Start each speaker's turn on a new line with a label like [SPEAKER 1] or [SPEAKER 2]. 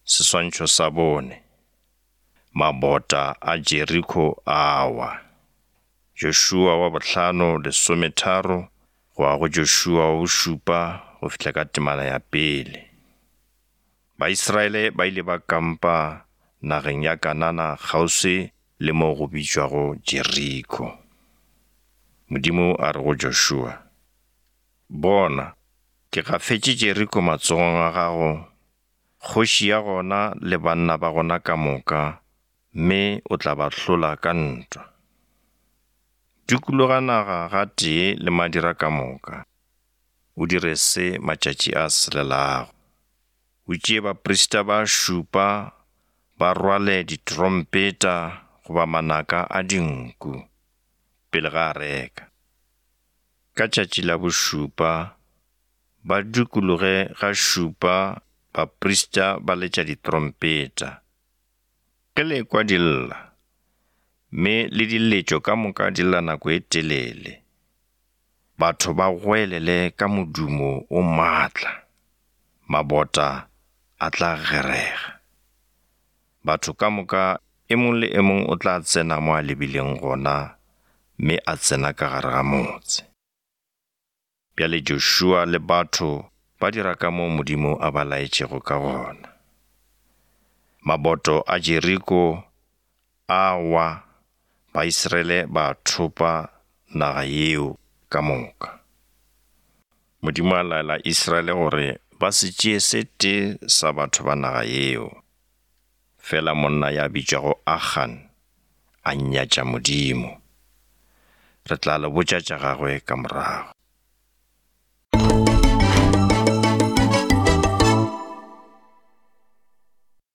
[SPEAKER 1] Seswantšho sa bone. Mabota a Jeriko a wa. Jošua wa bohlano lesometharo go ya go Jošua wa bošupa go fihla ka temana ya pele. Baisraele ba ile ba kampa nageng ya Kanana kgauswi le mo go bitšwago Jeriko. Modimo a re go Jošua, Bona, ke gafetše Jeriko matsogong a gago kgoši ya gona le banna ba gona ka moka, mme o tla ba hlola ka ntwa. Dikologa naga gatee le madira ka moka, o dire se matšatši a selelago. O tšee baprista ba šupa ba rwale ditrompeta goba manaka a dinku pele ga areka. Ka tšatši la bošupa Ba dikologe ga šupa baprista ba letša ditrompeta. Ge le ekwa di lla, mme le diletšo ka moka di lla nako e telele, batho ba goelele ka modumo o maatla, mabota a tla gerega. Batho ka moka e mong le e mong o tla tsena mo a lebileng gona mme a tsena ka gare ga motse. Bjale Joshua le batho ba dira ka moo Modimo a ba laetšego ka gona. Maboto a Jeriko a wa, Baisraele ba thopa naga yeo ka moka. Modimo a laela Israele gore ba se tšee se tee sa batho ba naga yeo. Fela monna ya bitšwago Achan a nyatša Modimo. Re tla le botša tša gagwe ka morago.